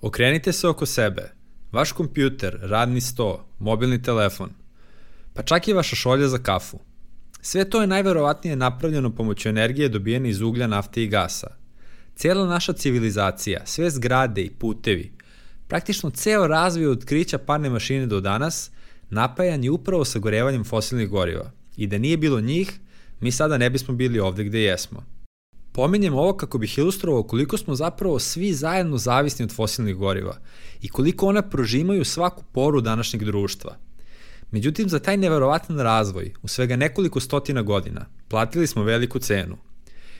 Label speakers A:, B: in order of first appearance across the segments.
A: Okrenite se oko sebe. Vaš kompjuter, radni sto, mobilni telefon, pa čak i vaša šolja za kafu. Sve to je najverovatnije napravljeno pomoću energije dobijene iz uglja, nafte i gasa. Cijela naša civilizacija, sve zgrade i putevi, praktično ceo razvoj od otkrića parne mašine do danas, napajan je upravo sagorevanjem fosilnih goriva. I da nije bilo njih, mi sada ne bismo bili ovde gde jesmo. Pominjem ovo kako bih ilustrovao koliko smo zapravo svi zajedno zavisni od fosilnih goriva i koliko ona prožimaju svaku poru današnjeg društva. Međutim, za taj neverovatan razvoj, u svega nekoliko stotina godina, platili smo veliku cenu.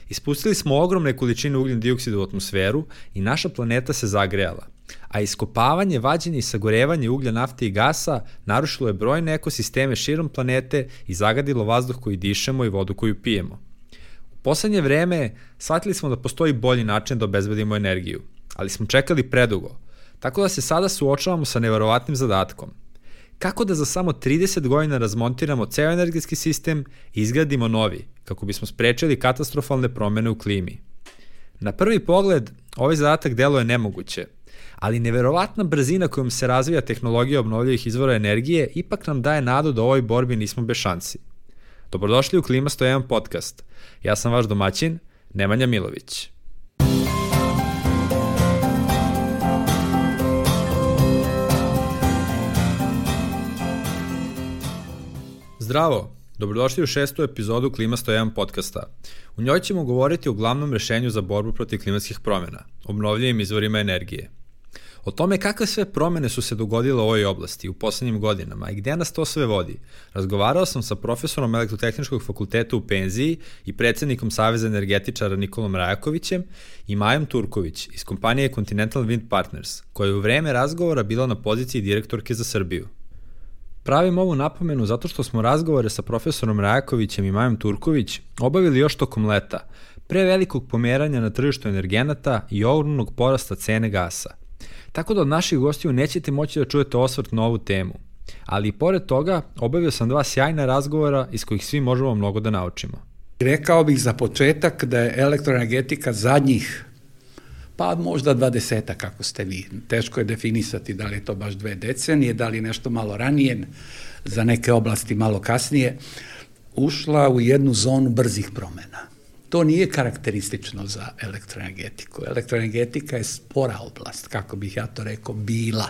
A: Ispustili smo ogromne količine ugljen dioksida u atmosferu i naša planeta se zagrejala, a iskopavanje, vađenje i sagorevanje uglja, nafte i gasa narušilo je brojne ekosisteme širom planete i zagadilo vazduh koji dišemo i vodu koju pijemo. U poslednje vreme shvatili smo da postoji bolji način da obezbedimo energiju, ali smo čekali predugo, tako da se sada suočavamo sa neverovatnim zadatkom. Kako da za samo 30 godina razmontiramo ceo energetski sistem i izgradimo novi, kako bismo sprečili katastrofalne promene u klimi? Na prvi pogled, ovaj zadatak deluje nemoguće, ali neverovatna brzina kojom se razvija tehnologija obnovljivih izvora energije ipak nam daje nadu da u ovoj borbi nismo bez šansi. Dobrodošli u Klima 101 podcast. Ja sam vaš domaćin, Nemanja Milović. Zdravo, dobrodošli u 6. epizodu Klima 101 podcasta. U njoj ćemo govoriti o glavnom rešenju za borbu protiv klimatskih promjena, obnovljivim izvorima energije. O tome kakve sve promjene su se dogodile u ovoj oblasti u poslednjim godinama i gde nas to sve vodi, razgovarao sam sa profesorom Elektrotehničkog fakulteta u penziji i predsednikom Saveza energetičara Nikolom Rajakovićem i Majom Turković iz kompanije Continental Wind Partners, koja je u vreme razgovora bila na poziciji direktorke za Srbiju. Pravim ovu napomenu zato što smo razgovore sa profesorom Rajakovićem i Majom Turković obavili još tokom leta, pre velikog pomeranja na tržištu energenata i ogromnog porasta cene gasa. Tako da od naših gostiju nećete moći da čujete osvrt na ovu temu. Ali i pored toga, obavio sam 2 sjajna razgovora iz kojih svi možemo mnogo da naučimo.
B: Rekao bih za početak da je elektroenergetika zadnjih, pa možda 20, kako ste vi. Teško je definisati da li je to baš 2 decenije, da li je nešto malo ranije, za neke oblasti malo kasnije, ušla u jednu zonu brzih promena. To nije karakteristično za elektroenergetiku. Elektroenergetika je spora oblast, kako bih ja to rekao, bila.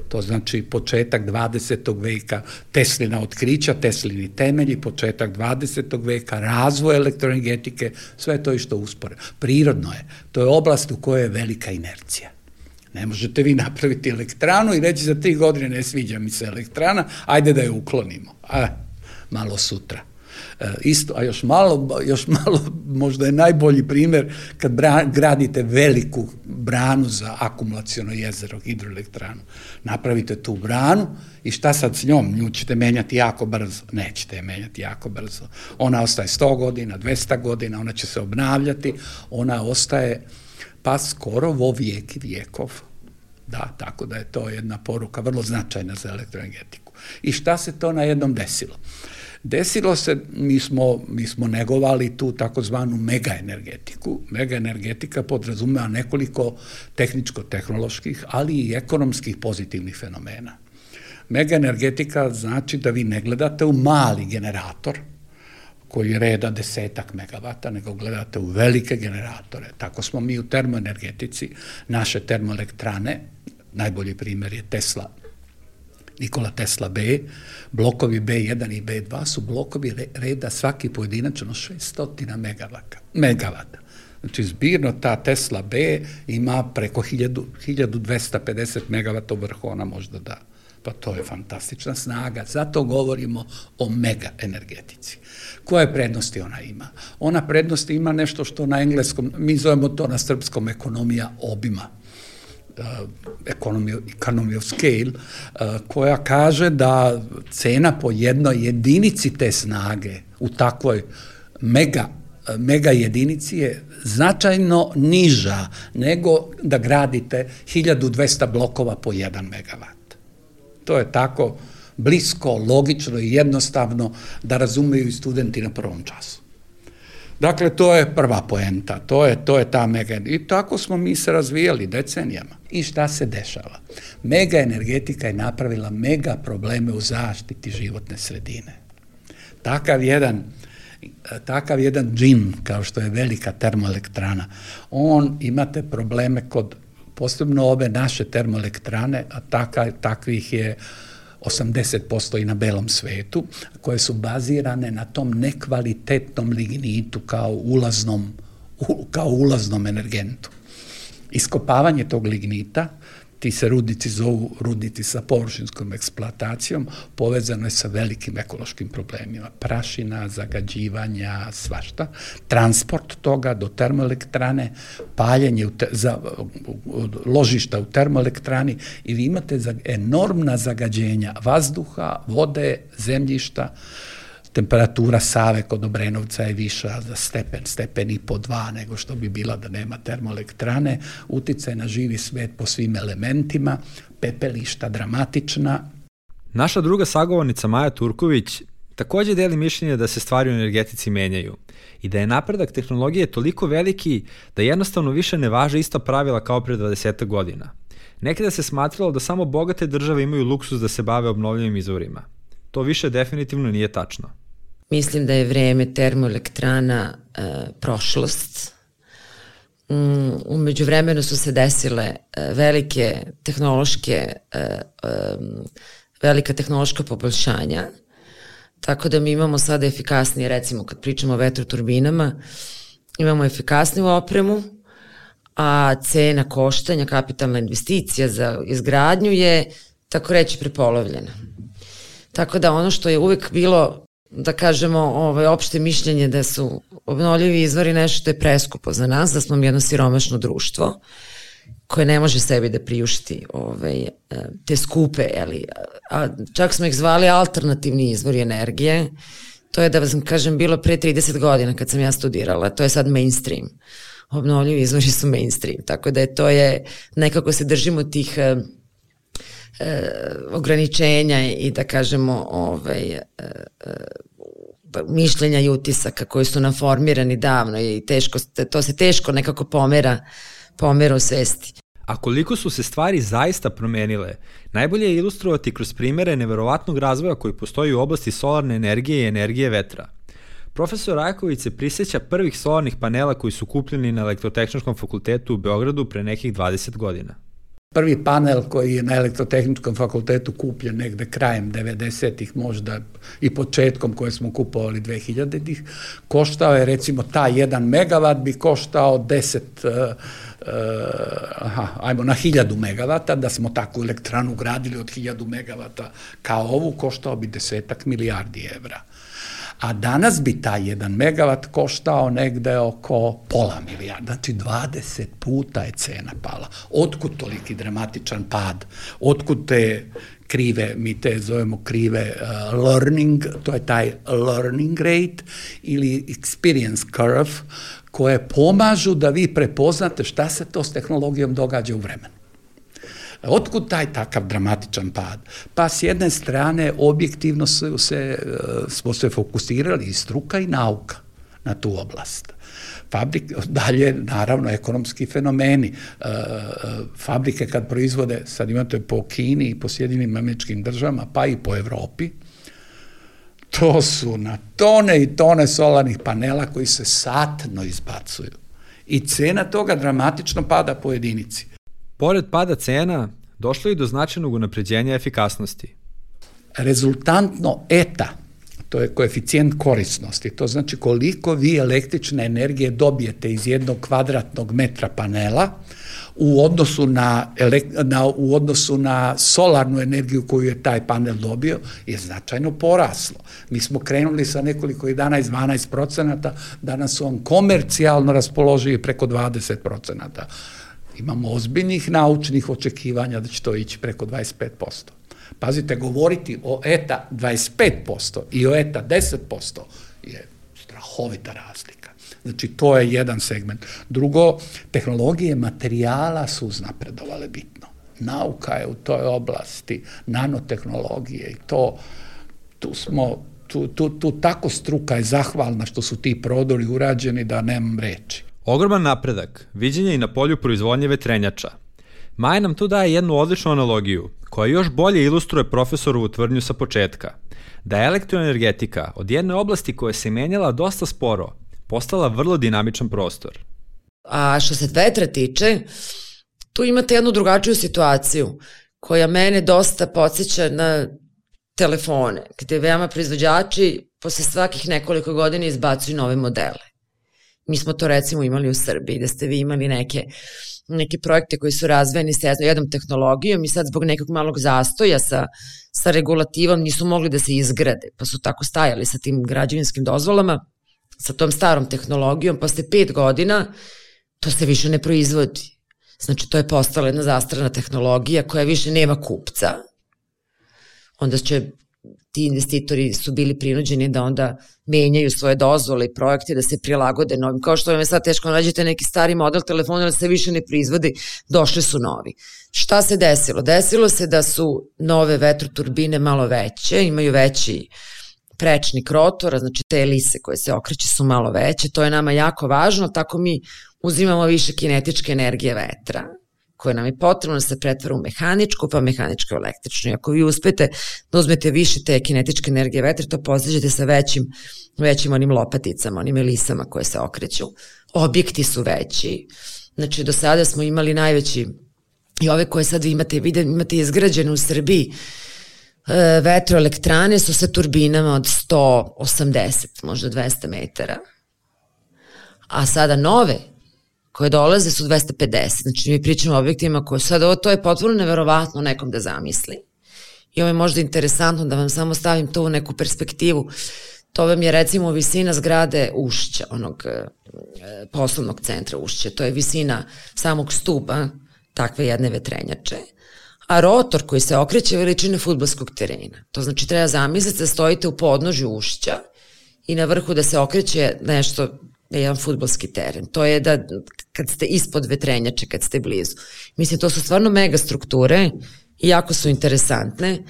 B: To znači početak 20. veka, Teslina otkrića, Teslini temelji, početak 20. veka, razvoj elektroenergetike, sve to išto uspore. Prirodno je. To je oblast u kojoj je velika inercija. Ne možete vi napraviti elektranu i reći za 3 godine ne sviđa mi se elektrana, ajde da je uklonimo. Malo sutra. Isto, a još malo, možda je najbolji primjer kad gradite veliku branu za akumulaciono jezero, hidroelektranu. Napravite tu branu i šta sad s njom? Nju ćete menjati jako brzo. Nećete je menjati jako brzo. Ona ostaje 100 godina, 200 godina, ona će se obnavljati, ona ostaje pa skoro vo vijek i vijekov. Da, tako da je to jedna poruka vrlo značajna za elektroenergetiku. I šta se to najednom desilo? Desilo se, mi smo negovali tu takozvanu megaenergetiku. Megaenergetika podrazumeva nekoliko tehničko-tehnoloških, ali i ekonomskih pozitivnih fenomena. Megaenergetika znači da vi ne gledate u mali generator koji reda 10 megavata, nego gledate u velike generatore. Tako smo mi u termoenergetici, naše termoelektrane, najbolji primjer je Nikola Tesla B, blokovi B1 i B2 su blokovi reda svaki pojedinačno 600 megavata. Znači zbirno ta Tesla B ima preko 1250 megavata u vrhu, ona možda da. Pa to je fantastična snaga, zato govorimo o megaenergetici. Koje prednosti ona ima? Ona prednosti ima nešto što na engleskom, mi zovemo to na srpskom ekonomija obima. Economy of scale, koja kaže da cena po jednoj jedinici te snage u takvoj mega jedinici je značajno niža nego da gradite 1200 blokova po 1 megavat. To je tako blisko, logično i jednostavno da razumeju i studenti na prvom času. Dakle, to je prva poenta, to je ta mega, i tako smo mi se razvijali decenijama. I šta se dešava? Mega energetika je napravila mega probleme u zaštiti životne sredine. Takav jedan džin, kao što je velika termoelektrana, imate probleme kod, posebno ove naše termoelektrane, a takvih je 80% i na belom svetu, koje su bazirane na tom nekvalitetnom lignitu kao ulaznom energentu. Iskopavanje tog lignita, ti se rudnici zovu rudnici sa površinskom eksploatacijom, povezano je sa velikim ekološkim problemima. Prašina, zagađivanja, svašta. Transport toga do termoelektrane, paljenje ložišta u termoelektrani i vi imate enormna zagađenja vazduha, vode, zemljišta. Temperatura Save kod Obrenovca je viša za stepen i po 2 nego što bi bila da nema termoelektrane, uticaj na živi svet po svim elementima, pepelišta dramatična.
A: Naša druga sagovornica Maja Turković takođe deli mišljenje da se stvari u energetici menjaju i da je napredak tehnologije toliko veliki da jednostavno više ne važe ista pravila kao pre 20 godina. Nekada se smatralo da samo bogate države imaju luksus da se bave obnovljivim izvorima. To više definitivno nije tačno.
C: Mislim da je vreme termoelektrana prošlost. U međuvremenu su se desile velika tehnološka poboljšanja, tako da mi imamo sada efikasnije, recimo kad pričamo o vetroturbinama, imamo efikasniju opremu, a cena koštanja, kapitalna investicija za izgradnju je, tako reći, prepolovljena. Tako da ono što je uvek bilo, da kažemo, opšte mišljenje da su obnovljivi izvori nešto što je preskupo za nas, da smo mi jedno siromašno društvo koje ne može sebi da priušti te skupe, a čak smo ih zvali alternativni izvori energije. To je, da vam kažem, bilo pre 30 godina kad sam ja studirala, to je sad mainstream. Obnovljivi izvori su mainstream, tako da nekako se držimo tih ograničenja i da kažemo mišljenja i utisaka koji su nam formirani davno i to se teško nekako pomera u svesti.
A: A koliko su se stvari zaista promenile, najbolje je ilustrovati kroz primere neverovatnog razvoja koji postoji u oblasti solarne energije i energije vetra. Profesor Rajaković se prisjeća prvih solarnih panela koji su kupljeni na Elektrotehničkom fakultetu u Beogradu pre nekih 20 godina.
B: Prvi panel koji je na Elektrotehničkom fakultetu kupljen negde krajem 90-ih, možda i početkom koje smo kupovali 2000-ih, koštao je, recimo, taj 1 megavat bi koštao 1000 megavata, da smo takvu elektranu gradili od 1000 megavata kao ovu, koštao bi 10 milijardi evra. A danas bi taj 1 megavat koštao negde oko pola milijarda, znači 20 puta je cena pala. Otkud toliki dramatičan pad? Otkud te krive, mi te zovemo krive learning, to je taj learning rate ili experience curve, koje pomažu da vi prepoznate šta se to s tehnologijom događa u vremenu. Otkud taj takav dramatičan pad? Pa s jedne strane objektivno smo se fokusirali i struka i nauka na tu oblast. Dalje, naravno, ekonomski fenomeni. Fabrike kad proizvode, sad imate po Kini i po Sjedinim Američkim Državama, pa i po Evropi, to su na tone i tone solarnih panela koji se satno izbacuju. I cena toga dramatično pada po jedinici.
A: Pored pada cena, došlo je do značajnog unapređenja efikasnosti.
B: Rezultantno ETA, to je koeficijent korisnosti, to znači koliko vi električne energije dobijete iz 1 kvadratnog metra panela u odnosu na solarnu energiju koju je taj panel dobio, je značajno poraslo. Mi smo krenuli sa nekoliko 11-12%, danas su on komercijalno raspoloživi preko 20%. Imamo ozbiljnih naučnih očekivanja da će to ići preko 25%. Pazite, govoriti o ETA 25% i o ETA 10% je strahovita razlika. Znači, to je jedan segment. Drugo, tehnologije materijala su uznapredovale bitno. Nauka je u toj oblasti, nanotehnologije i tu smo tu tako struka je zahvalna što su ti prodori urađeni da nemam reči.
A: Ogroman napredak viđen je i na polju proizvodnje vetrenjača. Maja nam tu daje jednu odličnu analogiju, koja još bolje ilustruje profesorovu tvrdnju sa početka, da je elektroenergetika od jedne oblasti koja se menjala dosta sporo, postala vrlo dinamičan prostor.
C: A što se vetra tiče, tu imate jednu drugačiju situaciju, koja mene dosta podsjeća na telefone, gde veoma proizvođači posle svakih nekoliko godina izbacuju nove modele. Mi smo to recimo imali u Srbiji, da ste vi imali neke projekte koji su razvijeni sa jednom tehnologijom i sad zbog nekog malog zastoja sa regulativom nisu mogli da se izgrade, pa su tako stajali sa tim građevinskim dozvolama, sa tom starom tehnologijom, posle 5 godina to se više ne proizvodi. Znači, to je postala jedna zastarana tehnologija koja više nema kupca. Onda će ti investitori su bili prinuđeni da onda menjaju svoje dozvole i projekte, da se prilagode novim. Kao što vam je sad teško nađete neki stari model telefona, ali se više ne proizvodi, došli su novi. Šta se desilo? Desilo se da su nove vetroturbine malo veće, imaju veći prečnik rotora, znači te elise koje se okreće su malo veće, to je nama jako važno, tako mi uzimamo više kinetičke energije vetra, koje nam je potrebno da se pretvara u mehaničku, pa mehaničku u električnu. I ako vi uspete da uzmete više te kinetičke energije vetra, to postižete sa većim onim lopaticama, onim elisama koje se okreću. Objekti su veći. Znači, do sada smo imali najveći, i ove koje sad vi imate izgrađene u Srbiji, vetroelektrane su sa turbinama od 180, možda 200 metara. A sada nove koje dolaze su 250. Znači, mi pričamo o objektima koje sad, to je potpuno neverovatno nekom da zamisli. I ovo je možda interesantno da vam samo stavim to u neku perspektivu. To vam je recimo visina zgrade Ušća, onog poslovnog centra Ušća. To je visina samog stuba takve jedne vetrenjače. A rotor koji se okreće veličine fudbalskog terena. To znači treba zamisliti da stojite u podnožju Ušća i na vrhu da se okreće nešto, jedan fudbalski teren. To je da kad ste ispod vetrenjače, kad ste blizu. Mislim, to su stvarno mega strukture i jako su interesantne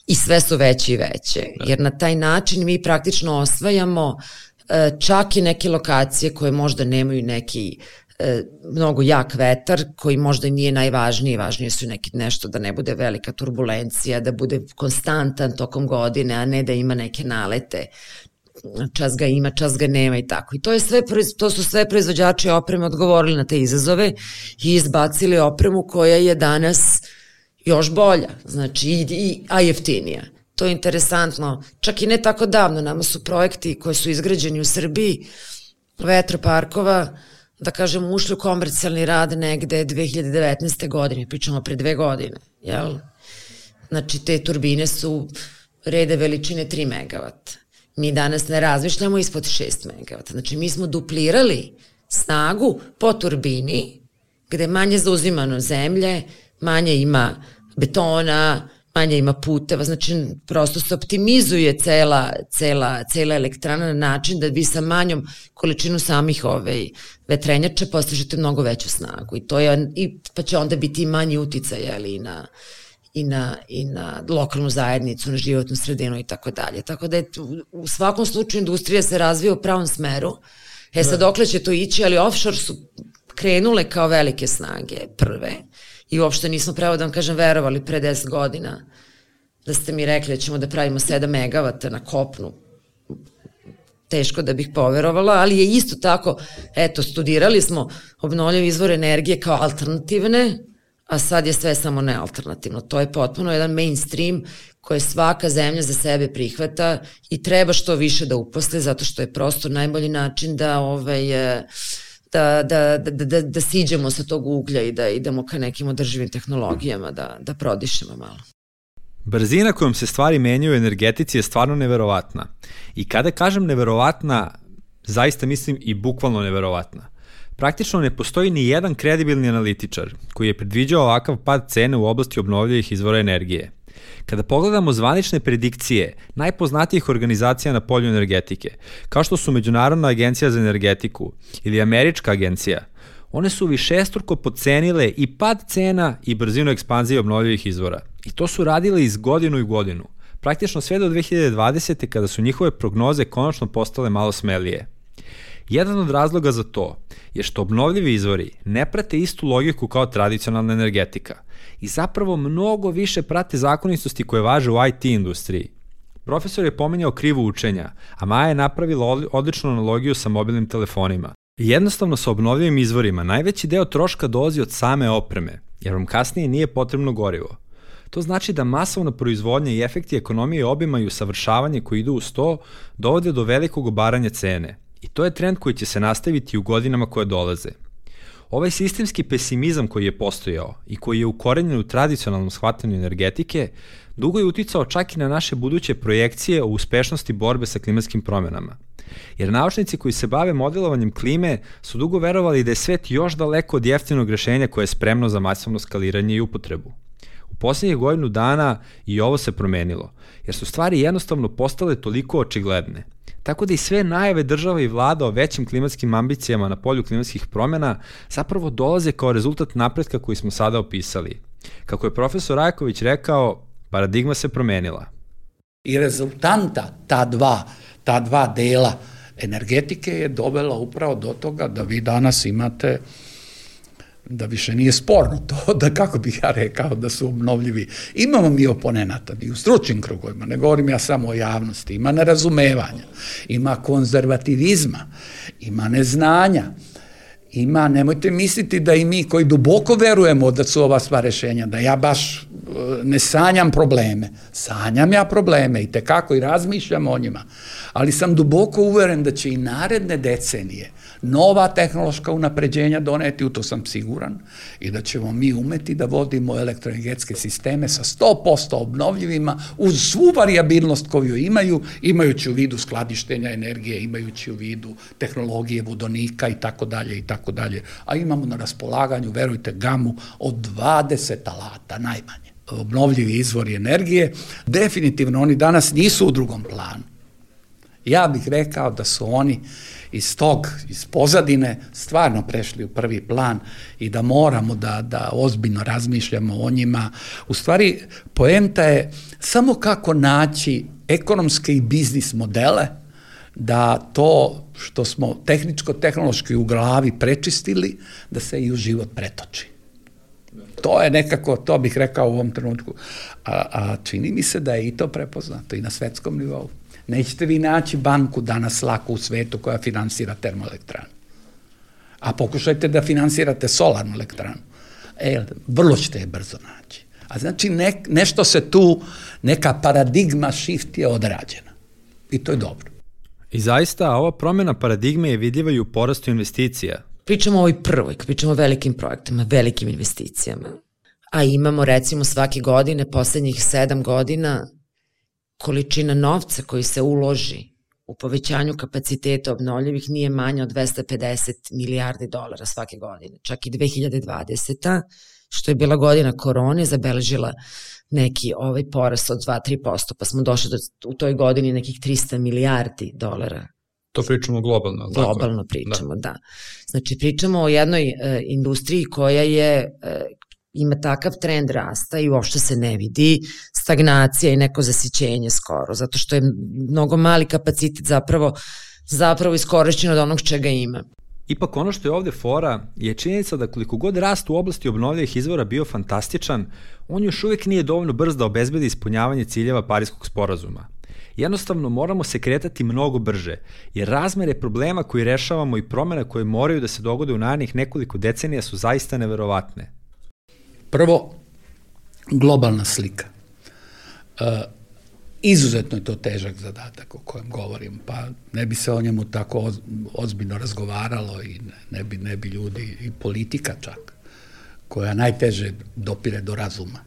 C: i sve su veće i veće. Jer na taj način mi praktično osvajamo čak i neke lokacije koje možda nemaju neki mnogo jak vetar, koji možda nije najvažniji, važnije su nešto da ne bude velika turbulencija, da bude konstantan tokom godine, a ne da ima neke nalete, čas ga ima, čas ga nema i tako. I to su sve proizvođači opreme odgovorili na te izazove i izbacili opremu koja je danas još bolja, znači a jeftinija. To je interesantno. Čak i ne tako davno, nama su projekti koji su izgrađeni u Srbiji, vetroparkova, da kažemo, ušli u komercijalni rad negde 2019. godine, pričamo pre 2 godine, jel? Znači, te turbine su rede veličine 3 megavata. Mi danas ne razmišljamo ispod 6 megavata. Znači, mi smo duplirali snagu po turbini, gde manje zauzimano zemlje, manje ima betona, manje ima puteva, znači prosto se optimizuje cela elektrana na način da vi sa manjom količinu samih vetrenjača postižete mnogo veću snagu pa će onda biti i manji uticaj i na lokalnu zajednicu, na životnu sredinu i tako dalje. Tako da je u svakom slučaju industrija se razvija u pravom smeru. Sad dokle će to ići, ali offshore su krenule kao velike snage prve. I uopšte nismo, pravo da vam kažem, verovali pre 10 godina da ste mi rekli da ćemo da pravimo 7 megavata na kopnu. Teško da bih poverovala, ali je isto tako, studirali smo obnovljive izvore energije kao alternativne, a sad je sve samo nealternativno. To je potpuno jedan mainstream koje svaka zemlja za sebe prihvata i treba što više da uposle, zato što je prosto najbolji način da siđemo sa tog uglja i da idemo ka nekim održivim tehnologijama, da prodišemo malo.
A: Brzina kojom se stvari menjaju u energetici je stvarno neverovatna. I kada kažem neverovatna, zaista mislim i bukvalno neverovatna. Praktično ne postoji ni jedan kredibilni analitičar koji je predviđao ovakav pad cene u oblasti obnovljivih izvora energije. Kada pogledamo zvanične predikcije najpoznatijih organizacija na polju energetike, kao što su Međunarodna agencija za energetiku ili Američka agencija, one su višestruko podcenile i pad cena i brzinu ekspanzije obnovljivih izvora. I to su radile iz godinu i godinu. praktično sve do 2020. kada su njihove prognoze konačno postale malo smelije. Jedan od razloga za to je što obnovljivi izvori ne prate istu logiku kao tradicionalna energetika i zapravo mnogo više prate zakonitosti koje važe u IT industriji. Profesor je pominjao krivu učenja, a Maja je napravila odličnu analogiju sa mobilnim telefonima. Jednostavno sa obnovljivim izvorima najveći deo troška dolazi od same opreme, jer vam kasnije nije potrebno gorivo. To znači da masovna proizvodnja i efekti ekonomije obima i usavršavanje koji idu uz to dovode do velikog obaranja cene. I to je trend koji će se nastaviti u godinama koje dolaze. Ovaj sistemski pesimizam koji je postojao i koji je ukorenjen u tradicionalnom shvatanju energetike, dugo je uticao čak i na naše buduće projekcije o uspešnosti borbe sa klimatskim promenama. Jer naučnici koji se bave modelovanjem klime su dugo verovali da je svet još daleko od jeftinog rešenja koje je spremno za masovno skaliranje i upotrebu. U posljednjih godinu dana i ovo se promenilo, jer su stvari jednostavno postale toliko očigledne. Tako da i sve najave država i vlada o većim klimatskim ambicijama na polju klimatskih promjena zapravo dolaze kao rezultat napretka koji smo sada opisali. Kako je profesor Rajković rekao, paradigma se promenila.
B: I rezultanta ta dva dela energetike je dovela upravo do toga da vi danas imate, da više nije sporno to, da kako bih ja rekao da su obnovljivi. Imamo mi oponenata i u stručnim krugovima, ne govorim ja samo o javnosti, ima nerazumevanja, ima konzervativizma, ima neznanja, ima, nemojte misliti da i mi koji duboko verujemo da su ova sva rešenja, da ja baš ne sanjam probleme. Sanjam ja probleme i tekako i razmišljam o njima, ali sam duboko uveren da će i naredne decenije nova tehnološka unapređenja doneti, u to sam siguran, i da ćemo mi umeti da vodimo elektroenergetske sisteme sa 100% obnovljivima uz svu variabilnost koju imaju, imajući u vidu skladištenja energije, imajući u vidu tehnologije vodonika i tako dalje, a imamo na raspolaganju, verujte, gamu od 20 alata najmanje. Obnovljivi izvori energije, definitivno oni danas nisu u drugom planu. Ja bih rekao da su oni iz pozadine stvarno prešli u prvi plan i da moramo da ozbiljno razmišljamo o njima. U stvari, poenta je samo kako naći ekonomske i biznis modele da to što smo tehničko-tehnološki u glavi prečistili, da se i u život pretoči. To je nekako, to bih rekao u ovom trenutku. A čini mi se da je i to prepoznato i na svetskom nivou. Nećete vi naći banku danas lako u svetu koja finansira termoelektranu. A pokušajte da finansirate solarnu elektranu. Vrlo ćete je brzo naći. A znači nešto se tu, neka paradigma shift je odrađena. I to je dobro.
A: I zaista, ova promjena paradigme je vidljiva i u porastu investicija.
C: Pričamo o ovoj prvoj, pričamo o velikim projektima, velikim investicijama. A imamo recimo svake godine, poslednjih 7 godina, količina novca koji se uloži u povećanju kapaciteta obnovljivih nije manja od 250 milijardi dolara svake godine. Čak i 2020. što je bila godina korone, zabeležila neki porast od 2-3%, pa smo došli u toj godini nekih 300 milijardi dolara.
A: To pričamo globalno.
C: Globalno pričamo, da. Znači pričamo o jednoj industriji koja ima takav trend rasta i uopšte se ne vidi stagnacija i neko zasićenje skoro, zato što je mnogo mali kapacitet zapravo iskorišćen od onog čega ima.
A: Ipak ono što je ovde fora je činjenica da koliko god rast u oblasti obnovljivih izvora bio fantastičan, on još uvijek nije dovoljno brz da obezbedi ispunjavanje ciljeva Pariskog sporazuma. Jednostavno moramo se kretati mnogo brže, jer razmere problema koji rešavamo i promjena koje moraju da se dogode u narednih nekoliko decenija su zaista neverovatne.
B: Prvo, globalna slika. Izuzetno je to težak zadatak o kojem govorim, pa ne bi se o njemu tako ozbiljno razgovaralo i ne bi ljudi, i politika čak, koja najteže dopire do razuma.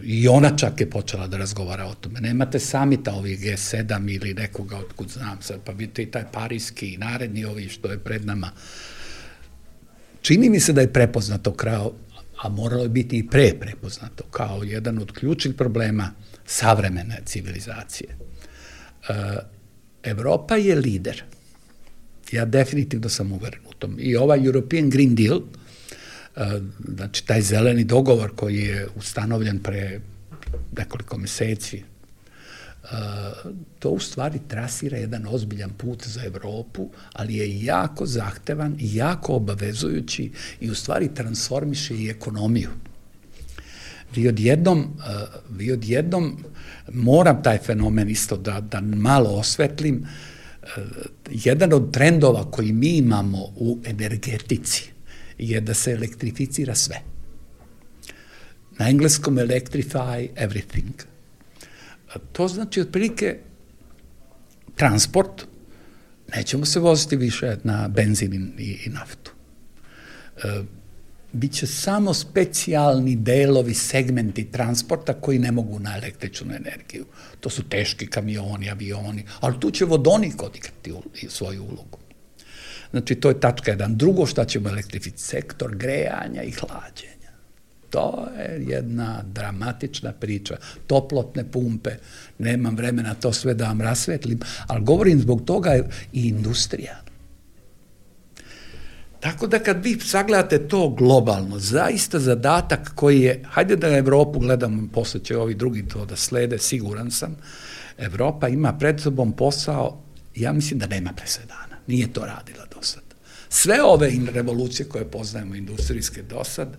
B: I ona čak je počela da razgovara o tome. Nemate samita ovih G7 ili nekoga otkud znam sad, pa vidite i taj parijski i naredni ovi što je pred nama. Čini mi se da je prepoznato a moralo je biti i prepoznato kao jedan od ključnih problema savremene civilizacije. Evropa je lider. Ja definitivno sam uveren u tom. I ovaj European Green Deal, znači taj zeleni dogovor koji je ustanovljen pre nekoliko meseci, to u stvari trasira jedan ozbiljan put za Evropu, ali je jako zahtevan i jako obavezujući i u stvari transformiše i ekonomiju. Vi odjednom, moram taj fenomen isto da malo osvetlim, jedan od trendova koji mi imamo u energetici je da se elektrificira sve. Na engleskom electrify everything. To znači otprilike transport, nećemo se voziti više na benzin i naftu. Biće samo specijalni delovi, segmenti transporta koji ne mogu na električnu energiju. To su teški kamioni, avioni, ali tu će vodonik odigrati svoju ulogu. Znači, to je tačka 1. Drugo, šta ćemo elektrificiti? Sektor grejanja i hlađenja. To je jedna dramatična priča. Toplotne pumpe, nemam vremena to sve da vam rasvetlim, ali govorim zbog toga i industrija. Tako da kad vi sagledate to globalno, zaista zadatak koji je, hajde da Evropu gledamo, posle će ovi drugi to da slede, siguran sam, Evropa ima pred sobom posao, ja mislim da nema presedana, nije to radila do sad. Sve ove revolucije koje poznajemo industrijske do sad,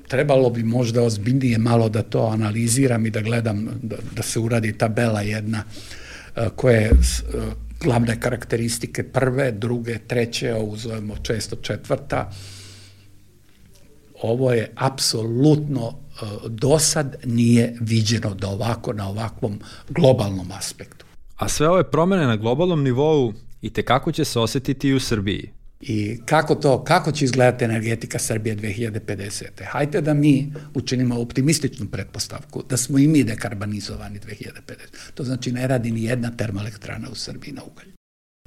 B: trebalo bi možda ozbiljnije malo da to analiziram i da gledam, da se uradi tabela jedna koje glavne karakteristike prve, druge, treće, ovo zovemo često četvrta. Ovo je apsolutno dosad nije viđeno da ovako na ovakvom globalnom aspektu.
A: A sve ove promene na globalnom nivou i tekako će se osetiti i u Srbiji.
B: I kako će izgledati energetika Srbije 2050. Hajde da mi učinimo optimističnu pretpostavku, da smo i mi dekarbonizovani 2050. To znači ne radi ni jedna termoelektrana u Srbiji na ugalj.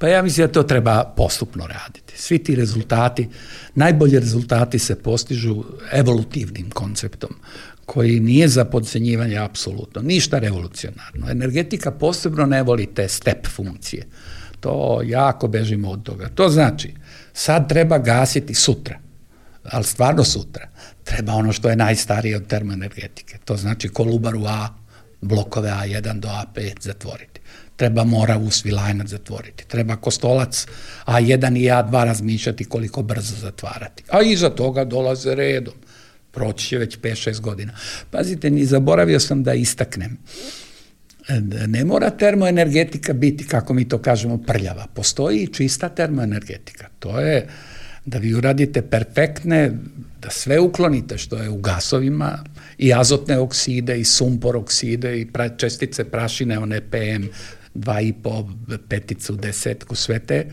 B: Pa ja mislim da to treba postupno raditi. Svi ti rezultati, najbolji rezultati se postižu evolutivnim konceptom, koji nije za podcenjivanje apsolutno, ništa revolucionarno. Energetika posebno ne voli te step funkcije. To jako bežimo od toga. To znači, sad treba gasiti sutra, ali stvarno sutra. Treba ono što je najstarije od termoenergetike. To znači Kolubaru A, blokove A1 do A5 zatvoriti. Treba Moravu, Svilajnac zatvoriti. Treba Kostolac A1 i A2 razmišljati koliko brzo zatvarati. A iza toga dolaze redom. Proći će već 5-6 godina. Pazite, ni zaboravio sam da istaknem. Ne mora termoenergetika biti, kako mi to kažemo, prljava. Postoji i čista termoenergetika. To je da vi uradite perfektne, da sve uklonite što je u gasovima, i azotne okside, i sumpor okside, i čestice prašine, one PM 2,5, peticu, desetku, sve te,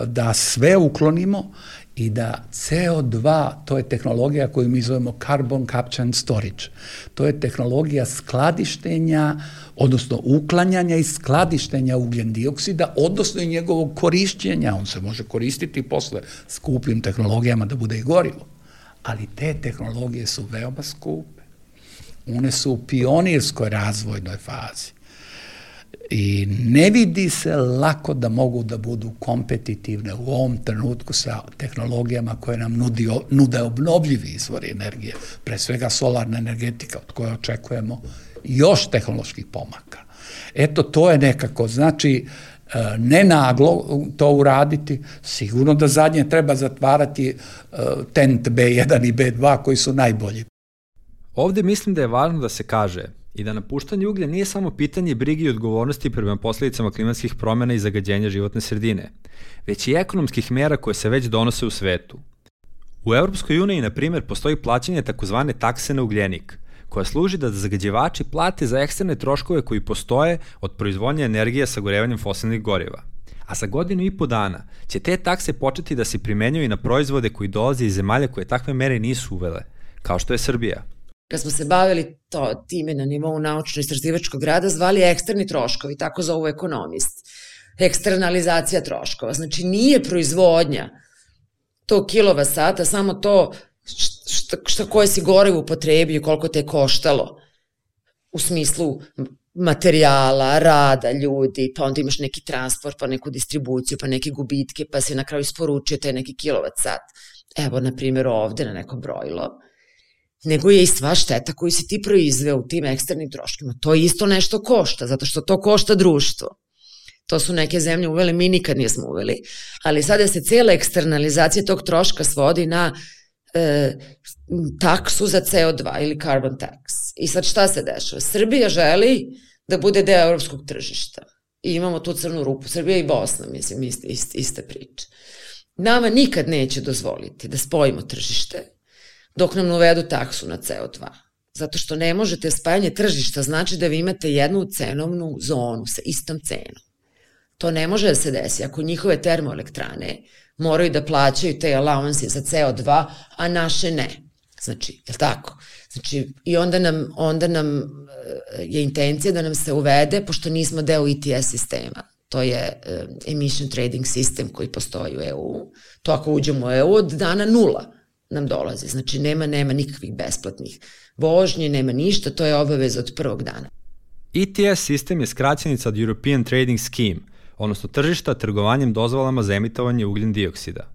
B: da sve uklonimo i da CO2, to je tehnologija koju mi zovemo carbon capture and storage, to je tehnologija skladištenja, odnosno uklanjanja i skladištenja ugljen dioksida, odnosno i njegovog korišćenja. On se može koristiti posle skupim tehnologijama da bude i gorivo. Ali te tehnologije su veoma skupe. One su u pionirskoj razvojnoj fazi. I ne vidi se lako da mogu da budu kompetitivne u ovom trenutku sa tehnologijama koje nam nude obnovljivi izvori energije, pre svega solarna energetika, od koje očekujemo još tehnoloških pomaka. Eto, to je nekako, znači, ne naglo to uraditi, sigurno da zadnje treba zatvarati TENT B1 i B2 koji su najbolji.
A: Ovde mislim da je važno da se kaže i da napuštanje uglja nije samo pitanje brige i odgovornosti prema posledicama klimatskih promena i zagađenja životne sredine, već i ekonomskih mera koje se već donose u svetu. U Evropskoj uniji, na primjer, postoji plaćanje takozvane takse na ugljenik, koja služi da zagađivači plate za eksterne troškove koji postoje od proizvodnje energije sagorevanjem fosilnih goriva. A za 1,5 dana će te takse početi da se primenjuju i na proizvode koji dolaze iz zemalja koje takve mere nisu uvele, kao što je Srbija.
C: Kad smo se bavili time na nivou naučno-istraživačkog rada, zvali eksterni troškovi, tako zovu ekonomist. Eksternalizacija troškova. Znači, nije proizvodnja tog kilovasata, samo to koje si gorivo upotrebio, koliko te je koštalo. U smislu materijala, rada, ljudi, pa onda imaš neki transport, pa neku distribuciju, pa neke gubitke, pa si na kraju isporučio taj neki kilovat sat. Evo, na primjer, ovde na neko brojilo. nego je i sva šteta koju si ti proizveo u tim eksternim troškima. To isto nešto košta, zato što to košta društvo. To su neke zemlje uvele, mi nikad nismo uveli. Ali sada se cijela eksternalizacija tog troška svodi na taksu za CO2 ili carbon tax. I sad šta se dešava? Srbija želi da bude deo evropskog tržišta. I imamo tu crnu rupu. Srbija i Bosna, mislim, iste priče. Nama nikad neće dozvoliti da spojimo tržište dok nam uvedu taksu na CO2. Zato što ne možete, spajanje tržišta znači da vi imate jednu cenovnu zonu sa istom cenom. To ne može da se desi ako njihove termoelektrane moraju da plaćaju te allowance za CO2, a naše ne. Znači, je li tako? Znači, i onda nam je intencija da nam se uvede, pošto nismo deo ETS sistema. To je emission trading sistem koji postoji u EU. To ako uđemo u EU, od dana 0 nam dolazi. Znači, nema nikakvih besplatnih vožnje, nema ništa, to je obaveza od prvog dana.
A: ETS sistem je skraćenica od European Trading Scheme, odnosno tržišta trgovanjem dozvolama za emitovanje ugljen dioksida.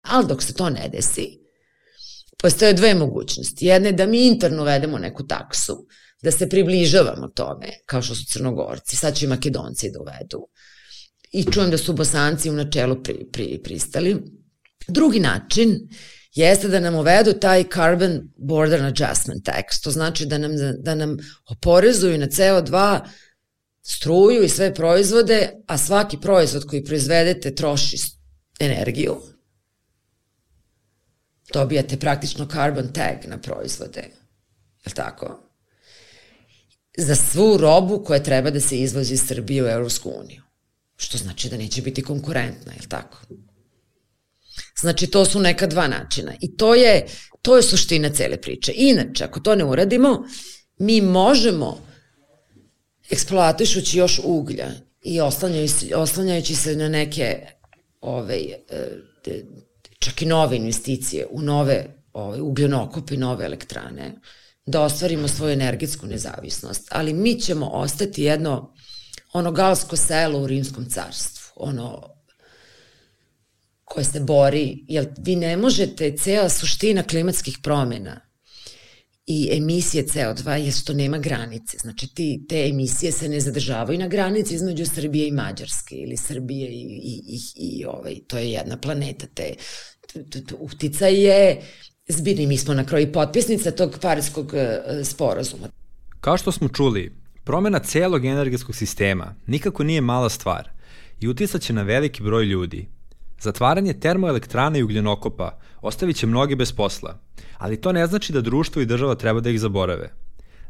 C: Ali dok se to ne desi, postoje dve mogućnosti. Jedna je da mi interno uvedemo neku taksu, da se približavamo tome, kao što su Crnogorci, sad će i Makedonci da uvedu. I čujem da su Bosanci u načelu pristali. Drugi način jeste da nam uvedu taj Carbon Border Adjustment Tax. To znači da nam oporezuju na CO2 struju i sve proizvode, a svaki proizvod koji proizvedete troši energiju. Dobijate praktično carbon tag na proizvode. Je li tako? Za svu robu koja treba da se izvozi iz Srbije u Evropsku uniju. Što znači da neće biti konkurentna, je li tako? Znači, to su neka dva načina. I to je suština cele priče. Inače, ako to ne uradimo, mi možemo, eksploatišući još uglja i oslanjajući se na neke čak i nove investicije u nove ugljenokope i nove elektrane, da ostvarimo svoju energetsku nezavisnost. Ali mi ćemo ostati jedno galsko selo u Rimskom carstvu, koje se bori, jer vi ne možete, cijela suština klimatskih promjena i emisije CO2 je što nema granice. Znači, te emisije se ne zadržavaju na granici između Srbije i Mađarske ili Srbije i to je jedna planeta. Uticaj je zbirni. Mi smo na kraju potpisnica tog Pariskog sporazuma.
A: Kao što smo čuli, promjena celog energetskog sistema nikako nije mala stvar i uticaće na veliki broj ljudi. Zatvaranje termoelektrana i ugljenokopa ostavit će mnogi bez posla, ali to ne znači da društvo i država treba da ih zaborave.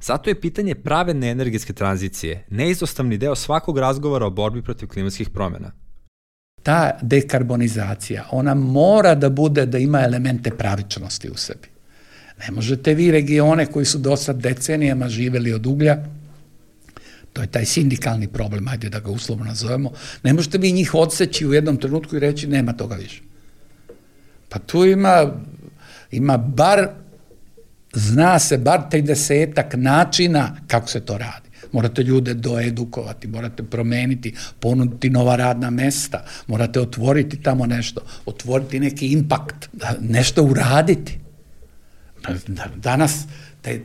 A: Zato je pitanje pravedne energetske tranzicije neizostavni deo svakog razgovora o borbi protiv klimatskih promjena.
B: Ta dekarbonizacija, ona mora da bude, da ima elemente pravičnosti u sebi. Ne možete vi regione koji su do sad decenijama živeli od uglja, to je taj sindikalni problem, ajde da ga uslovno nazovemo, ne možete vi njih odseći u jednom trenutku i reći nema toga više. Pa tu ima zna se bar 30 načina kako se to radi. Morate ljude doedukovati, morate promeniti, ponuditi nova radna mesta, morate otvoriti tamo nešto, otvoriti neki impakt, nešto uraditi. Danas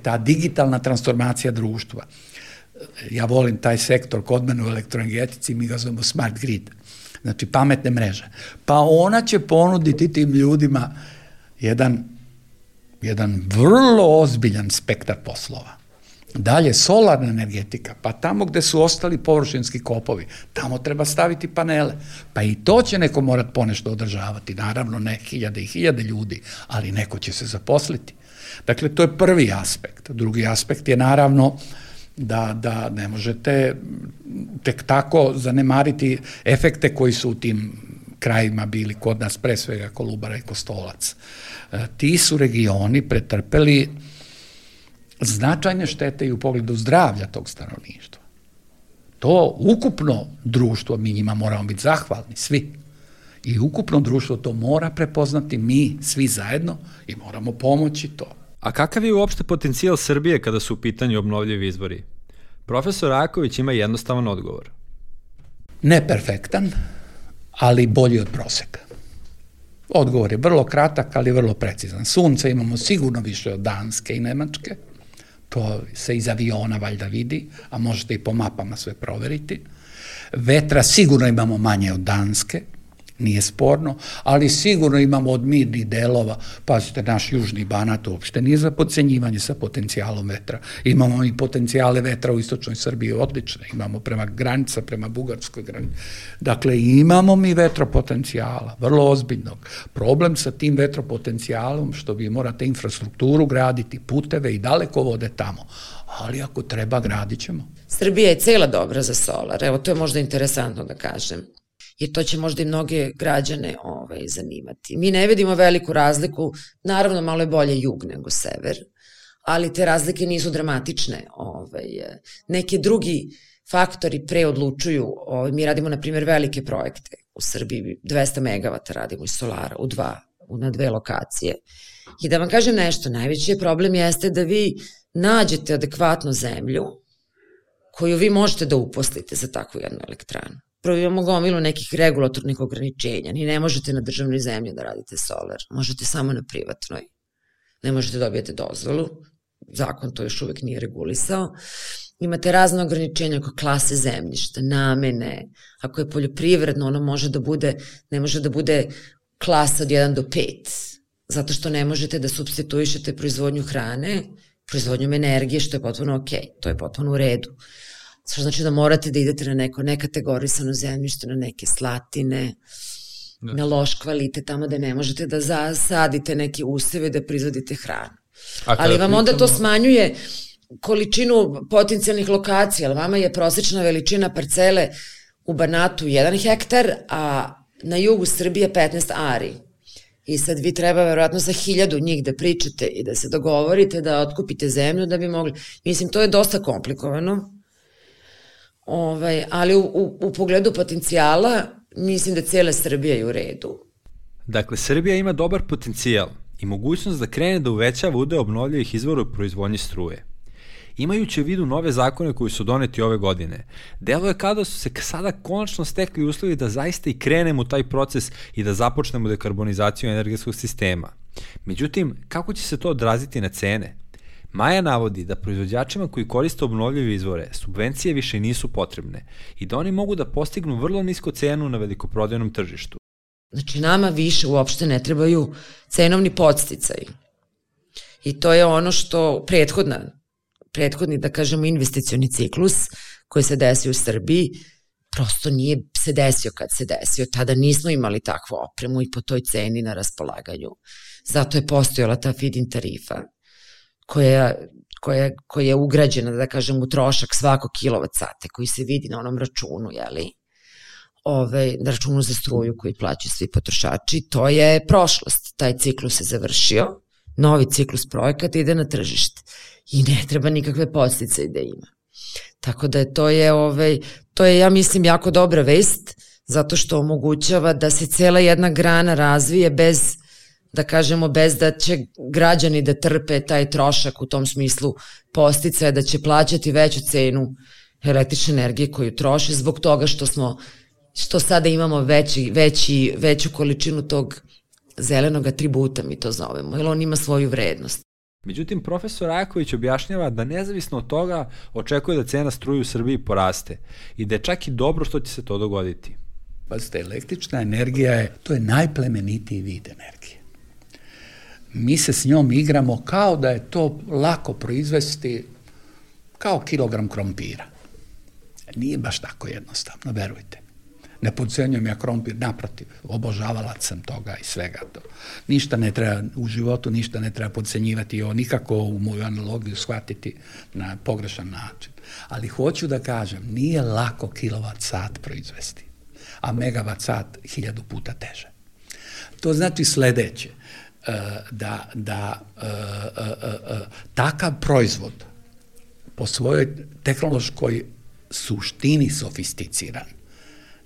B: ta digitalna transformacija društva, ja volim taj sektor kod mene u elektroenergetici, mi ga zovemo smart grid, znači pametne mreže. Pa ona će ponuditi tim ljudima jedan vrlo ozbiljan spektar poslova. Dalje, solarna energetika, pa tamo gde su ostali površinski kopovi, tamo treba staviti panele. Pa i to će neko morat ponešto održavati, naravno ne hiljade i hiljade ljudi, ali neko će se zaposliti. Dakle, to je prvi aspekt. Drugi aspekt je naravno da ne možete tek tako zanemariti efekte koji su u tim krajima bili kod nas, pre svega Kolubara i Kostolac. Ti su regioni pretrpeli značajne štete i u pogledu zdravlja tog stanovništva. To ukupno društvo, mi njima moramo biti zahvalni, svi. I ukupno društvo to mora prepoznati, mi svi zajedno, i moramo pomoći to.
A: A kakav je uopšte potencijal Srbije kada su u pitanju obnovljivi izvori? Profesor Raković ima jednostavan odgovor.
B: Neperfektan, ali bolji od proseka. Odgovor je vrlo kratak, ali vrlo precizan. Sunce imamo sigurno više od Danske i Nemačke, to se iz aviona valjda vidi, a možete i po mapama sve proveriti. Vetra sigurno imamo manje od Danske, nije sporno, ali sigurno imamo od mirnih delova, pazite, naš južni Banat uopšte nije za podcenjivanje sa potencijalom vetra. Imamo i potencijale vetra u istočnoj Srbiji odlične, imamo prema granica, prema bugarskoj granici. Dakle, imamo mi vetropotencijala, vrlo ozbiljnog. Problem sa tim vetropotencijalom, što vi morate infrastrukturu graditi, puteve i dalekovode tamo, ali ako treba, gradit ćemo.
C: Srbija je cela dobra za solar, evo to je možda interesantno da kažem. Jer to će možda i mnoge građane zanimati. Mi ne vidimo veliku razliku, naravno malo je bolje jug nego sever, ali te razlike nisu dramatične. Neki drugi faktori preodlučuju. Mi radimo, na primjer, velike projekte u Srbiji, 200 megavata radimo iz solara na 2 lokacije. I da vam kažem nešto, najveći problem jeste da vi nađete adekvatnu zemlju koju vi možete da uposlite za takvu jednu elektranu. Prvo imamo gomilu nekih regulatornih ograničenja. Ni ne možete na državnoj zemlji da radite solar. Možete samo na privatnoj. Ne možete dobijete dozvolu. Zakon to još uvek nije regulisao. Imate razne ograničenja oko klase zemljišta, namene. Ako je poljoprivredno, ono ne može da bude klasa od 1 do 5. Zato što ne možete da supstituišete proizvodnju hrane, proizvodnjom energije, što je potpuno okej. To je potpuno u redu. Što znači da morate da idete na neko nekategorisano zemljište, na neke slatine, na loš kvalitet, tamo da ne možete da zasadite neke useve da proizvodite hranu. Ali vam onda to smanjuje količinu potencijalnih lokacija, ali vama je prosečna veličina parcele u Banatu 1 hektar, a na jugu Srbije 15 ari. I sad vi treba verovatno sa 1000 njih da pričate i da se dogovorite, da otkupite zemlju da bi mogli. Mislim, to je dosta komplikovano. Ali u pogledu potencijala mislim da cijela Srbija je u redu.
A: Dakle, Srbija ima dobar potencijal i mogućnost da krene da uvećava udeo obnovljivih izvora u proizvodnji struje. Imajući u vidu nove zakone koji su doneti ove godine, deluje kao da su se sada konačno stekli uslovi da zaista i krenemo u taj proces i da započnemo dekarbonizaciju energetskog sistema. Međutim, kako će se to odraziti na cene? Maja navodi da proizvođačima koji koriste obnovljive izvore subvencije više nisu potrebne i da oni mogu da postignu vrlo nisku cenu na velikoprodajnom tržištu.
C: Znači, nama više uopšte ne trebaju cenovni podsticaji. I to je ono što prethodni, da kažemo, investicioni ciklus koji se desio u Srbiji, prosto nije se desio kad se desio. Tada nismo imali takvu opremu i po toj ceni na raspolaganju. Zato je postojala ta feed-in tarifa koja je ugrađena, da kažem, u trošak svakog kilovat-sata koji se vidi na onom računu, na računu za struju koji plaćaju svi potrošači. To je prošlost. Taj ciklus se završio, novi ciklus projekata ide na tržište i ne treba nikakve podsticaje da ima. Tako da to je, ja mislim, jako dobra vest, zato što omogućava da se cela jedna grana razvije bez da će građani da trpe taj trošak u tom smislu podsticaja, da će plaćati veću cenu električne energije koju troše zbog toga što sada imamo veću količinu tog zelenog atributa, mi to zovemo, jer on ima svoju vrednost.
A: Međutim, profesor Rajaković objašnjava da nezavisno od toga očekuje da cena struje u Srbiji poraste i da je čak i dobro što će se to dogoditi.
B: Pazite, električna energija to je najplemenitiji vid energije. Mi se s njom igramo kao da je to lako proizvesti kao kilogram krompira. Nije baš tako jednostavno, verujte. Ne podcenjujem ja krompir, naprotiv, obožavalac sam toga i svega to. Ništa ne treba u životu, ništa ne treba podcenjivati, nikako u moju analogiju shvatiti na pogrešan način. Ali hoću da kažem, nije lako kilovat sat proizvesti, a megavat sat 1000 puta teže. To znači sledeće, da takav proizvod po svojoj tehnološkoj suštini sofisticiran,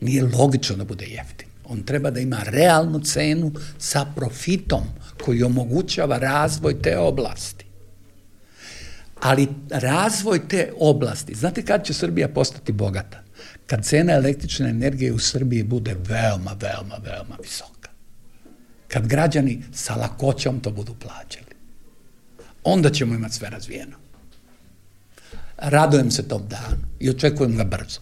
B: nije logično da bude jeftin. On treba da ima realnu cenu sa profitom koji omogućava razvoj te oblasti. Ali razvoj te oblasti, znate kad će Srbija postati bogata? Kad cena električne energije u Srbiji bude veoma, veoma, veoma visoka. Kad građani sa lakoćom to budu plaćali, onda ćemo imati sve razvijeno. Radujem se tom danu i očekujem ga brzo.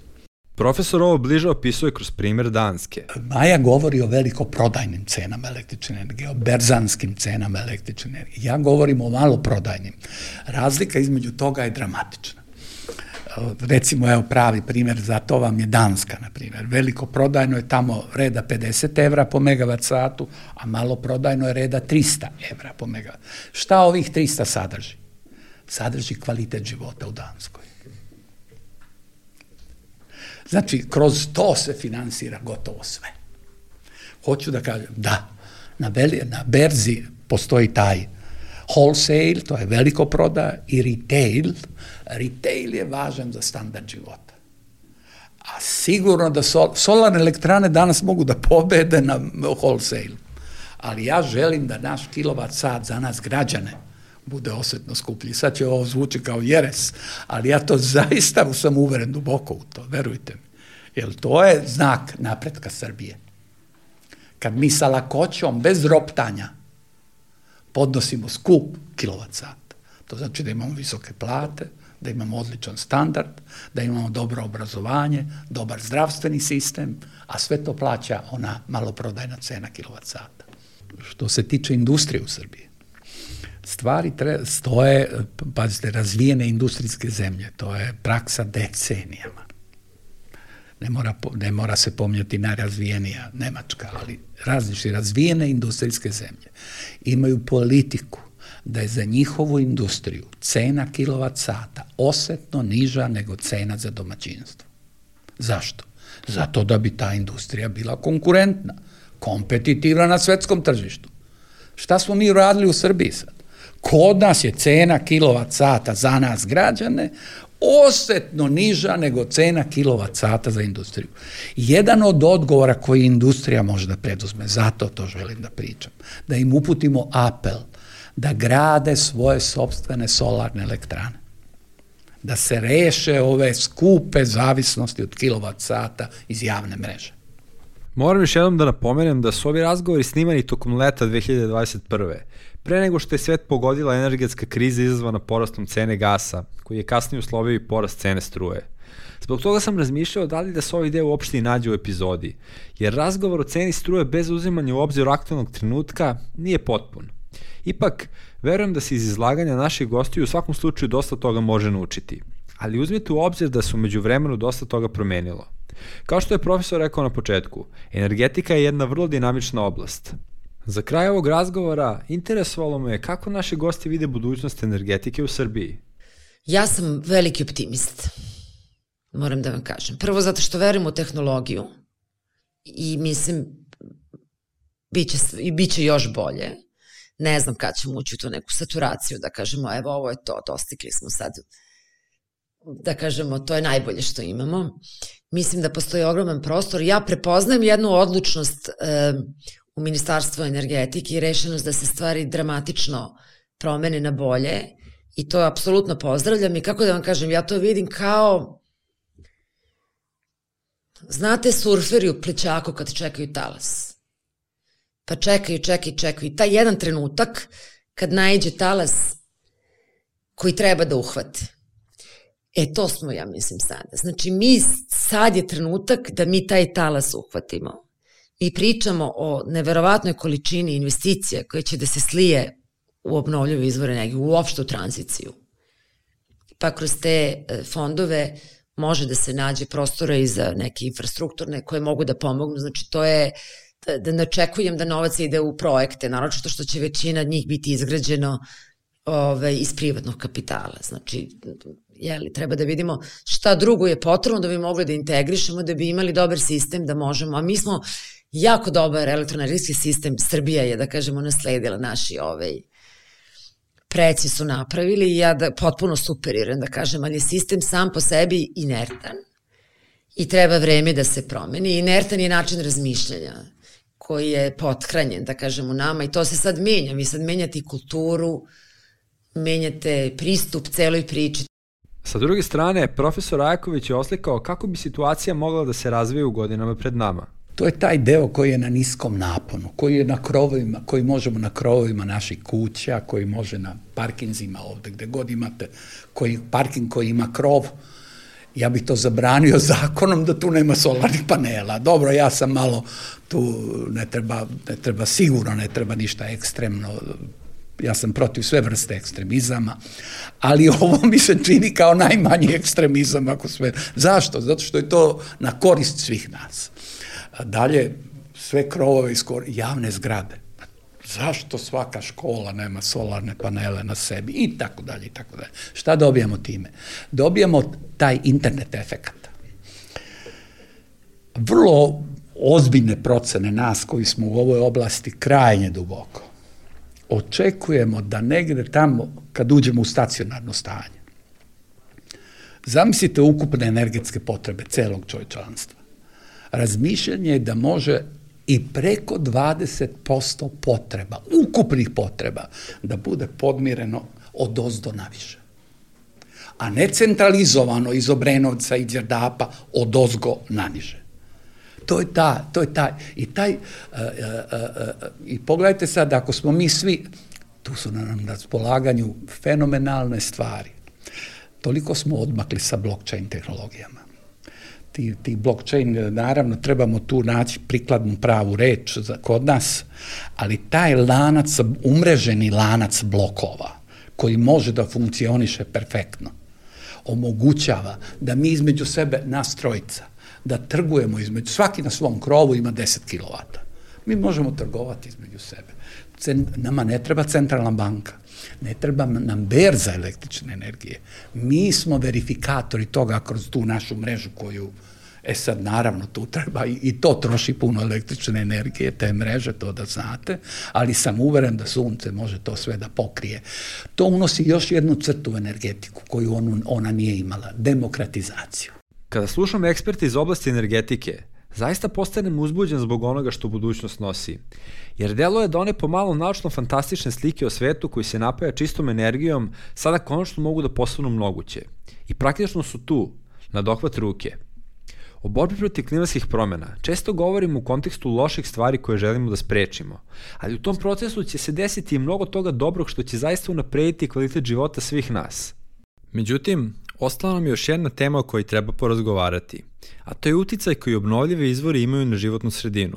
A: Profesor ovo bliže opisuje kroz primjer Danske.
B: Maja govori o velikoprodajnim cenama električne energije, o berzanskim cenama električne energije. Ja govorim o maloprodajnim. Razlika između toga je dramatična. Recimo, evo pravi primjer, za to vam je Danska, na primjer. Velikoprodajno je tamo reda 50 evra po megavat satu, a maloprodajno je reda 300 evra po megavat. Šta ovih 300 sadrži? Sadrži kvalitet života u Danskoj. Znači, kroz to se finansira gotovo sve. Hoću da kažem, da, na berzi postoji taj wholesale, to je veliko prodaja, i retail. Retail je važan za standard života. A sigurno da solarne elektrane danas mogu da pobede na wholesale. Ali ja želim da naš kilovat sat za nas građane bude osjetno skuplji. Sad će ovo zvuči kao jeres, ali ja to zaista sam uveren duboko u to, verujte mi. Jer to je znak napretka Srbije. Kad mi sa lakoćom, bez roptanja, podnosimo skup kilovat sat. To znači da imamo visoke plate, da imamo odličan standard, da imamo dobro obrazovanje, dobar zdravstveni sistem, a sve to plaća ona maloprodajna cena kilovat sata. Što se tiče industrije u Srbiji, stvari stoje, pazite, razvijene industrijske zemlje, to je praksa decenijama. Ne mora se pominjati najrazvijenija Nemačka, ali različite razvijene industrijske zemlje imaju politiku da je za njihovu industriju cena kilovat sata osjetno niža nego cena za domaćinstvo. Zašto? Zato da bi ta industrija bila konkurentna, kompetitivna na svetskom tržištu. Šta smo mi radili u Srbiji sad? Kod nas je cena kilovat sata za nas građane osjetno niža nego cena kilovat sata za industriju. Jedan od odgovora koji industrija može da preduzme, zato to želim da pričam, da im uputimo apel da grade svoje sopstvene solarne elektrane, da se reše ove skupe zavisnosti od kilovat sata iz javne mreže.
A: Moram još jednom da napomenem da su ovi razgovori snimani tokom leta 2021. Pre nego što je svet pogodila energetska kriza izazvana porastom cene gasa, koji je kasnije uslovio i porast cene struje. Zbog toga sam razmišljao da li da se ovaj deo uopšte i nađe u epizodi, jer razgovor o ceni struje bez uzimanja u obzir aktualnog trenutka nije potpun. Ipak, verujem da se iz izlaganja naših gostiju u svakom slučaju dosta toga može naučiti, ali uzmite u obzir da se u međuvremenu dosta toga promenilo. Kao što je profesor rekao na početku, energetika je jedna vrlo dinamična oblast. Za kraj ovog razgovora interesovalo me kako naši gosti vide budućnost energetike u Srbiji.
C: Ja sam veliki optimist, moram da vam kažem. Prvo zato što verujem u tehnologiju i mislim bit će još bolje. Ne znam kad ćemo ući u tu neku saturaciju, da kažemo evo ovo je to, dostigli smo sad, da kažemo to je najbolje što imamo. Mislim da postoji ogroman prostor. Ja prepoznajem jednu odlučnost u Ministarstvu energetike i rešenost da se stvari dramatično promene na bolje i to apsolutno pozdravljam i kako da vam kažem, ja to vidim kao, znate surferi u plećaku kad čekaju talas. Pa čekaju i taj jedan trenutak kad naiđe talas koji treba da uhvate. To smo, ja mislim, sada. Znači, sad je trenutak da mi taj talas uhvatimo. Mi pričamo o neverovatnoj količini investicija koje će da se slije u obnovljive izvore energije, uopšte u tranziciju. Pa kroz te fondove može da se nađe prostora i za neke infrastrukturne koje mogu da pomognu. Znači, to je da ne očekujem da novac ide u projekte, naročito što će većina njih biti izgrađeno iz privatnog kapitala. Znači, treba da vidimo šta drugo je potrebno da bi mogli da integrišemo, da bi imali dobar sistem, da možemo, a mi smo jako dobar elektroenergetski sistem, Srbija je, da kažemo, nasledila naši preci su napravili i ja potpuno superiram, da kažem, ali je sistem sam po sebi inertan i treba vreme da se promeni. Inertan je način razmišljanja koji je pothranjen, da kažem, u nama i to se sad menja. Vi sad menjate kulturu, menjate pristup celoj priči.
A: Sa druge strane, profesor Ajaković je oslikao kako bi situacija mogla da se razvije u godinama pred nama.
B: To je taj deo koji je na niskom naponu, koji je na krovovima, koji možemo na krovovima naših kuća, koji može na parkinzima ovde, gde god imate parking koji ima krov. Ja bih to zabranio zakonom da tu nema solarnih panela. Dobro, ja sam malo tu, sigurno ne treba ništa ekstremno, ja sam protiv sve vrste ekstremizama, ali ovo mi se čini kao najmanji ekstremizam ako sve. Zašto? Zato što je to na korist svih nas. Dalje, sve krovove javne zgrade. Zašto svaka škola nema solarne panele na sebi? I tako dalje, i tako dalje. Šta dobijamo time? Dobijamo taj internet efekat. Vrlo ozbiljne procene nas koji smo u ovoj oblasti krajnje duboko. Očekujemo da negde tamo, kad uđemo u stacionarno stanje, zamislite ukupne energetske potrebe celog čovječanstva. Razmišljanje je da može i preko 20% potreba, ukupnih potreba, da bude podmireno od ozdo naviše. A ne centralizovano iz Obrenovca i Đerdapa od ozgo naniže. To je taj. I pogledajte sad, ako smo mi svi, tu su nam na raspolaganju fenomenalne stvari. Toliko smo odmakli sa blockchain tehnologijama. Ti blockchain, naravno, trebamo tu naći prikladnu pravu reč kod nas, ali taj lanac, umreženi lanac blokova, koji može da funkcioniše perfektno, omogućava da mi između sebe, nas trojica, da trgujemo između, svaki na svom krovu ima 10 kW. Mi možemo trgovati između sebe. Nama ne treba centralna banka, ne treba nam berza električne energije. Mi smo verifikatori toga kroz tu našu mrežu koju, sad naravno tu treba i to troši puno električne energije, te mreže, to da znate, ali sam uveren da sunce može to sve da pokrije. To unosi još jednu crtu u energetiku koju ona nije imala, demokratizaciju.
A: Kada slušam eksperte iz oblasti energetike, zaista postanem uzbuđen zbog onoga što budućnost nosi, jer deluje da one pomalo naučno-fantastične slike o svetu koji se napaja čistom energijom sada konačno mogu da postanu moguće. I praktično su tu, na dohvat ruke. O borbi protiv klimatskih promena često govorimo u kontekstu loših stvari koje želimo da sprečimo, ali u tom procesu će se desiti i mnogo toga dobrog što će zaista unaprediti kvalitet života svih nas. Međutim, ostala nam je još jedna tema o kojoj treba porazgovarati, a to je uticaj koji obnovljive izvori imaju na životnu sredinu.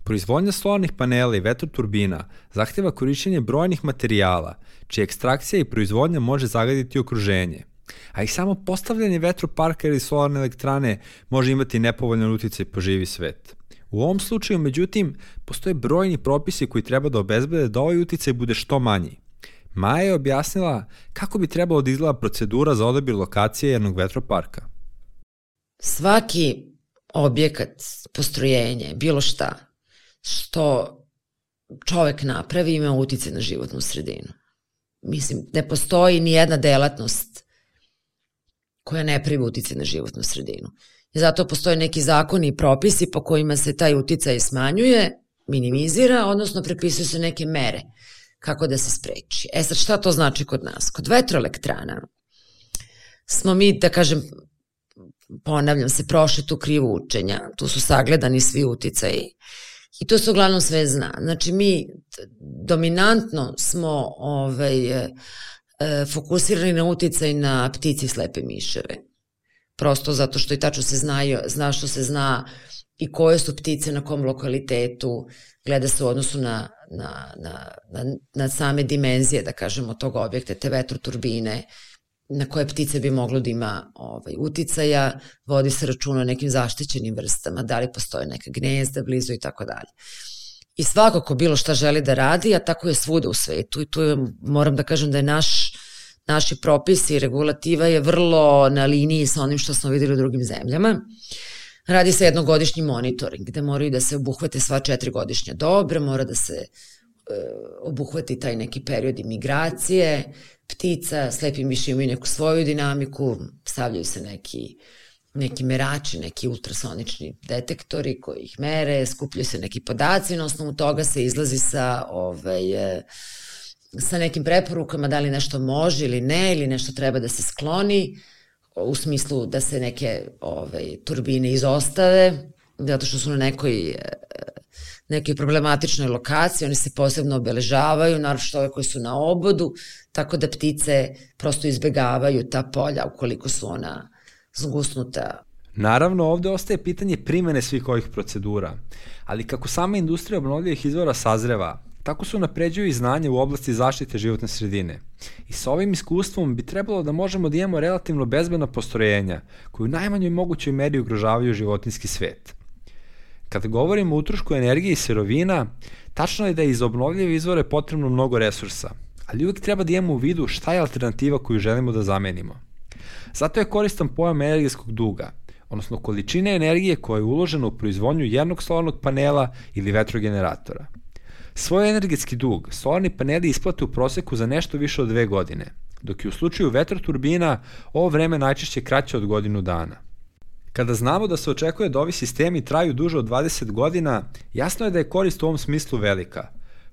A: Proizvodnja solarnih panela i vetroturbina zahteva korišćenje brojnih materijala, čija ekstrakcija i proizvodnja može zagaditi okruženje, a i samo postavljanje vetroparka ili solarne elektrane može imati nepovoljan uticaj po živi svet. U ovom slučaju, međutim, postoje brojni propisi koji treba da obezbede da ovaj uticaj bude što manji. Maja je objasnila kako bi trebalo da izgleda procedura za odabir lokacije jednog vetroparka.
C: Svaki objekat, postrojenje, bilo šta što čovek napravi ima uticaj na životnu sredinu. Mislim, ne postoji ni jedna delatnost koja ne pravi uticaj na životnu sredinu. I zato postoje neki zakoni i propisi po kojima se taj uticaj smanjuje, minimizira, odnosno prepisuju se neke mere kako da se spreči. Sad šta to znači kod nas? Kod vetroelektrana smo mi, da kažem, ponavljam se, prošli tu krivu učenja, tu su sagledani svi uticaji i to se uglavnom sve zna. Znači mi dominantno smo fokusirani na uticaj na ptice i slepe miševe. Prosto zato što i tačno se zna što se zna i koje su ptice na kom lokalitetu, gleda se u odnosu na same dimenzije, da kažemo, tog objekta, te vetroturbine, na koje ptice bi moglo da ima uticaja, vodi se računa o nekim zaštićenim vrstama, da li postoje neka gnezda blizu i tako dalje. I svako ko bilo šta želi da radi, a tako je svuda u svetu, i tu moram da kažem da je naši propisi i regulativa je vrlo na liniji sa onim što smo videli u drugim zemljama. Radi se jednogodišnji monitoring, gde moraju da se obuhvate sva 4 godišnja dobra, mora da se obuhvati taj neki period migracije ptica, slepi miši imaju neku svoju dinamiku, stavljaju se neki merači, neki ultrasonični detektori koji ih mere, skupljaju se neki podaci, na osnovu toga se izlazi sa nekim preporukama da li nešto može ili ne, ili nešto treba da se skloni, u smislu da se neke turbine izostave zato što su na nekoj problematičnoj lokaciji, oni se posebno obeležavaju, naročito ove koji su na obodu, tako da ptice prosto izbegavaju ta polja ukoliko su ona zgusnuta.
A: Naravno, ovde ostaje pitanje primene svih ovih procedura, ali kako sama industrija obnovljivih izvora sazreva, tako se unapređuju i znanje u oblasti zaštite životne sredine. I sa ovim iskustvom bi trebalo da možemo da imamo relativno bezbedna postrojenja koji u najmanjoj mogućoj meri ugrožavaju životinjski svet. Kada govorimo o utrošku energije i sirovina, tačno je da je iz obnovljive izvore potrebno mnogo resursa, ali uvek treba da imamo u vidu šta je alternativa koju želimo da zamenimo. Zato je koristan pojam energetskog duga, odnosno količine energije koja je uložena u proizvodnju jednog solarnog panela ili vetrogeneratora. Svoj energetski dug solarni paneli isplate u proseku za nešto više od 2 godine, dok je u slučaju vetroturbina ovo vreme najčešće kraće od godinu dana. Kada znamo da se očekuje da ovi sistemi traju duže od 20 godina, jasno je da je korist u ovom smislu velika,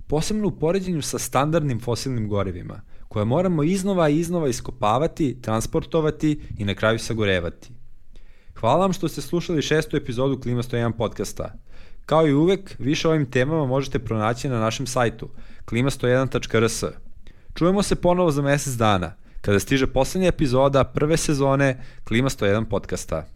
A: posebno u poređenju sa standardnim fosilnim gorivima, koje moramo iznova i iznova iskopavati, transportovati i na kraju sagorevati. Hvala vam što ste slušali 6. epizodu Klima 101 podcasta. Kao i uvek, više o ovim temama možete pronaći na našem sajtu klima101.rs. Čujemo se ponovo za mesec dana, kada stiže poslednja epizoda prve sezone Klima 101 podcasta.